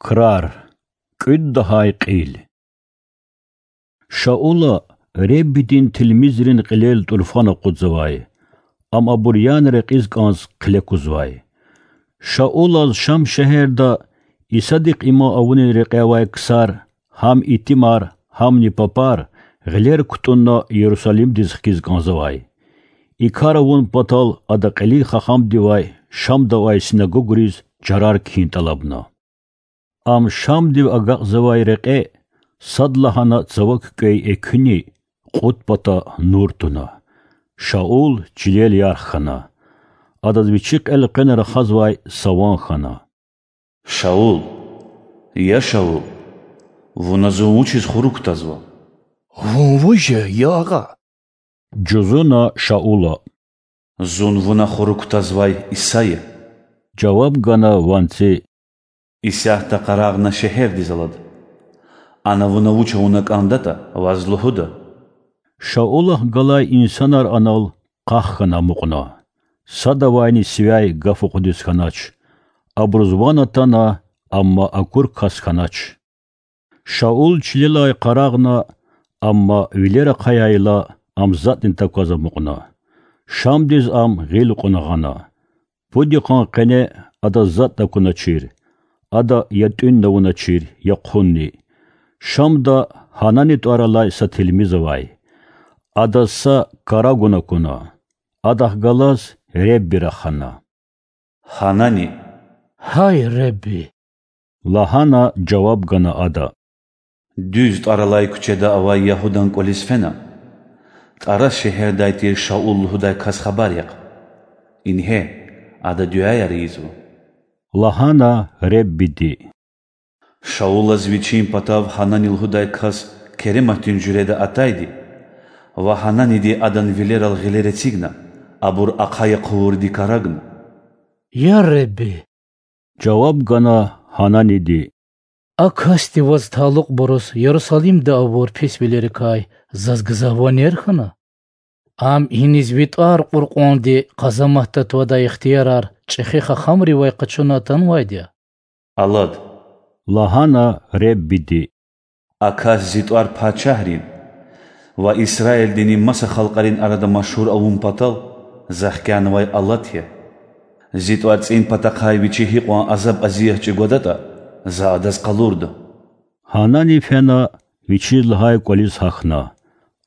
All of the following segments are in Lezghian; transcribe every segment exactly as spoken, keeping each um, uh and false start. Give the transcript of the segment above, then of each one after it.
Крар. КӀуьд лагьай кьил. Шаула Худадин тилмизрин кьилел тӀурфан акъудзавай, ам абур яна рекьиз кӀанз хъиле кузвай. Шаулаз Шам шегьерда Исадихъ иман авунин рекье авай ксар, гьам итимар, гьамни папар, гъилер кутӀунна Ярусалимдиз хкиз кӀанзавай. И кар авун патал ада кьилин хахамдивай Шамда авай синагогриз чарар кхьин тӀалабна. Ам Шамдив агакьзавай рекье садлагьана цава куькӀвей экуьни кьуд пата нур туна. Шаул чилел ярх хьана. Адаз вичихъ элкъвена рахазвай са ван хьана. Шаул! Я Шаул! Вуна зун вучиз хурук кутазва? Вун вуж я, я Агъа? жузуна Шаула. Зун вуна хурук кутазвай Иса я,— жаваб гана ванци. Исятда къарагъна шегьердиз алад. Ана вуна вуч авуна кӀандатӀа, ваз лугьуда. Шаулахъ галай инсанар анал къах хьана амукьна. Садавайни сивяй гаф акъудиз хьанач. Абуруз ван атана, амма акур кас хьанач. Шаул чилелай къарагъна, амма вилер ахъаяйла, ам затӀни такваз амукьна. Шамдиз ам гъил кьуна гъана. Пуд йикъан къене адаз затӀ такуначир. Ада я тӀуьнни авуначир, я хъунни. Шамда Гьанани тӀвар алай са тилмиз авай. Адаз са карагун акуна. Адахъ галаз Худа рахана. Гьанани! Гьай Худа! лагьана жаваб гана ада. Дуьз тӀвар алай куьчеда авай Ягьудан кӀвализ фена. ТӀарас шегьердай тир Шаул лугьудай кас хабар яхъ. Ингье, ада дуьаяр ийизва,— лагьана Худади. Шаулаз вичин патав Гьанани лугьудай кас керематдин жуьреда атайди ва Гьананиди адан вилерал гъилер эцигна, абур ахъая хъувурди карагна. Я Худа,— жаваб гана Гьананиди,— а касди ваз талукьбуруз Ярусалимда авур писвилерикай заз гзаф ванер хьана? Ам иниз ви тӀвар кьур кьванди къазаматда твадай ихтиярар чӀехи хахамривай къачуна атанвайди я? Алад,— лагьана Худади,— а кас зи тӀвар пачагьрин ва Исраилдини маса халкьарин арада машгьур авун патал за хкянавай алат я. Зи тӀварцӀин патахъай вичи гьикьван азаб-азият чӀугвадатӀа, за адаз къалурда. Гьанани фена, вичиз лагьай кӀвализ гьахьна.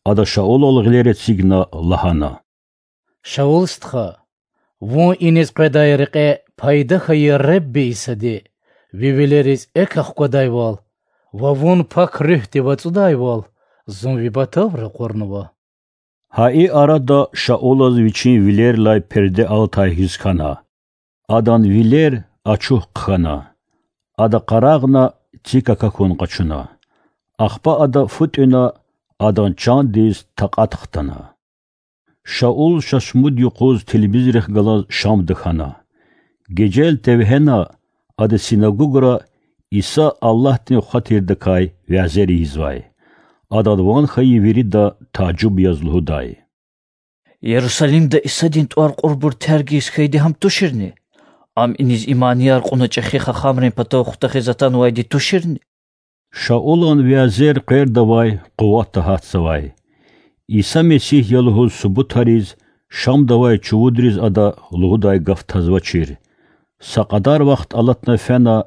Ада Шаулал гъилер эцигна лагьана: Шаул стха, вун иниз къведай рекье пайда хьайи Худади Исади, ви вилериз экв ахквадайвал ва вун Пак Руьгьдив ацӀудайвал, зун ви патав ракъурнава. Гьа и арада Шаулаз вичин вилерилай перде алатай хьиз хьана. Адан вилер ачух хъхьана. Ада къарагъна, цик акахьун къачуна. Ахпа ада фу тӀуьна, адан чандиз такьат хтана. Шаул ша шумуд юкъуз тилмизрихъ галаз Шамда хьана. Гежел тевгьена, ада синагогра Иса Аллагьдин Хва тирдакай вязер ийизвай. Адан ван хьайи вирида тажуб яз лугьудай: Ярусалимда Исадин тӀвар кьурбур терг ийиз хьайиди гьам туширни? Ам иниз иманияр кьуна чӀехи хахамрин патав хутахиз атанвайди туширни? Шаулан вязер къвердавай къуватда гьатзавай. Иса Месигь я лугьуз субутариз Шамда авай чувудриз ада лугьудай гаф тазвачир. Са кьадар вахт алатна фена,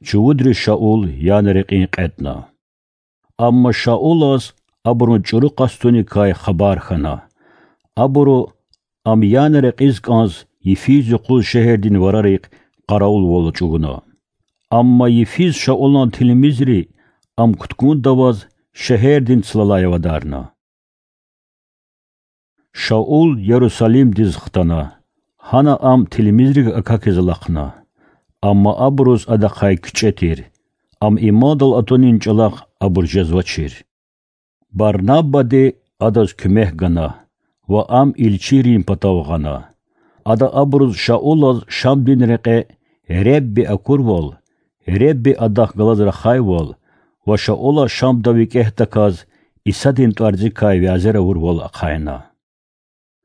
чувудри Шаул яна рекьин кьетӀна. Амма Шаулаз абурун чӀуру къастуникай хабар хьана. Абуру ам яна рекьиз кӀанз йифиз юкъуз шегьердин варарихъ къаравулвал ачӀугуна. Амма йифиз Шаулан тилмизри ам кутгунда аваз шегьердин цлалай авадарна. Шаул Ярусалимдиз хтана, гьана ам тилмизрихъ акахьиз алахъна. Амма абуруз адахъай кичӀе тир, ам имандал атунин чӀалахъ абур жезвачир. Барнабади адаз куьмек гана ва ам илчийрин патав гъана. Ада абуруз Шаулаз Шамдин рекье Худади акурвал, Худади адахъ галаз рахайвал ва Шаула Шамда викӀегьдаказ Исадин тӀварцӀикай вязер авурвал ахъайна.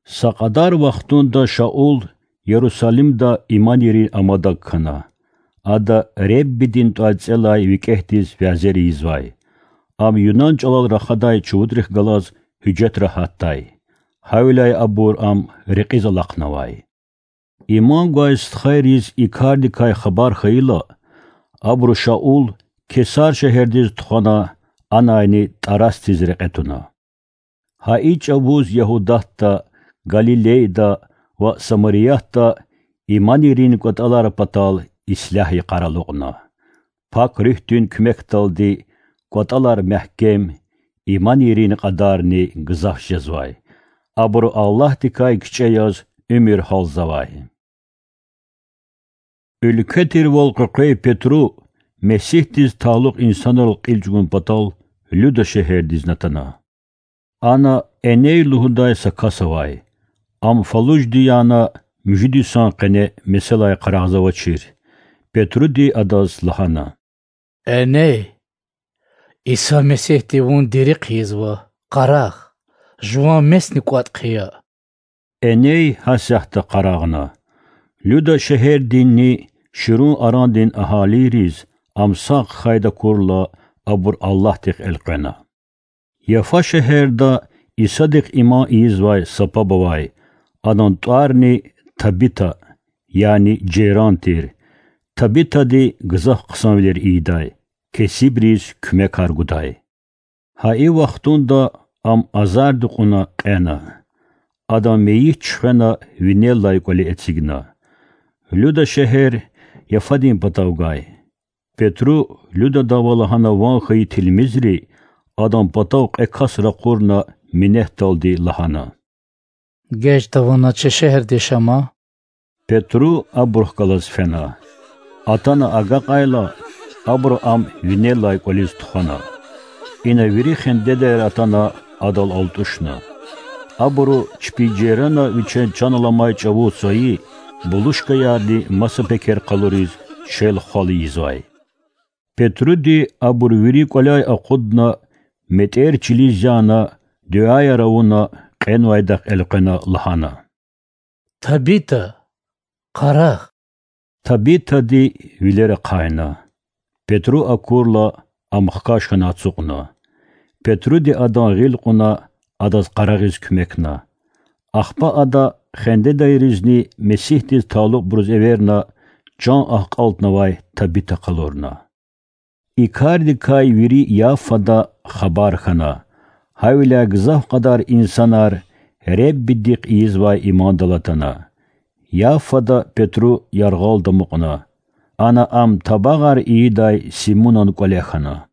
Са кьадар вахтунда Шаул Ярусалимда иман ийирин амадаг хьана. Ада Худадин тІварцІелай викІегьдиз вязер ийизвай. Ам юнан чІалал рахадай чувудрихъ галаз гьуьжетра гьатдай. Гьавиляй абур ам рекьиз алахънавай. Иман гвай стхайриз и кардикай хабар хьайила, абуру Шаул Кесар шегьердиз тухвана, анайни Тарасдиз рекье туна. Гьа и чІавуз Ягьудатда, Галилейда ва Самариятда иманийрин кІватІалар патал ислягь йикъар алукьна. Пак Руьгьдин куьмекдалди кІватІалар мягькем, иманийрин кьадарни гзаф жезвай. Абуру Аллагьдикай кичІе яз уьмуьр гьалзавай. Уьлкве тирвал къекъвей Петру Месигьдиз талукь инсанрал кьил чІугун патал Люда шегьердизни атана. Ана Эней лугьудай са кас авай. Ам фалужди яна муьжуьд йисан къене меселай къарагъзавачир. Петруди адаз лагьана: Эней, Иса Месигьди вун дири хъийизва, къарагъ, жуван месни кІватІ хъия. Эней гьасятда къарагъна. Люда шегьердинни ширун арандин агьалийриз ам сагъ хьайда акурла, абур Аллагьдихъ элкъвена. Яфа шегьерда Исадихъ иман ийизвай са паб авай, адан тІварни Табита, яни Жейран тир. Табитади гзаф хъсанвилер ийидай, кесибриз куьмекар гудай. Гьа и вахтунда ам азарди кьуна кьена. Адан мейит чуьхвена винеллай кІвале эцигна. Люда шегьер Яфадин патав гвай. Петру Людадан ва лагьана ван хьайи тилмизри адан патав кьве кас ракъурна минетдалди лагьана: Геж тавуна чи шегьерда яшама. Петру абурухъ галаз фена. Атана агакьайла, абуру ам винеллай кІвализ тухвана. Ина вири хендедайра атана адал алтІушна. Абуру чпи Жейрана вичин чан аламай чІавуз цайи булушкаярни маса пекер къалуриз шел-хвал ийизвай. Петруди абур вири кІваляй акъудна, метІер чилиз яна, дуьаяр авуна, кьенвайдахъ элкъвена лагьана: Табита, къарагъ! Табитади вилер ахъайна. Петру акурла, ам хкаж хьана ацукьна. Петруди адан гъил кьуна, адаз къарагъиз куьмекна. Ахпа ада хендедайризни Месигьдиз талукьбуруз эверна, чан акьалтнавай Табита къалурна. И кардикай вири Яффада хабар хьана, гьавиляй гзаф кьадар инсанар Худадихъ ийизвай имандал атана. Яффада Петру яргъал дамукьна. Ана ам табагъар ийидай Симунан кІвале хьана.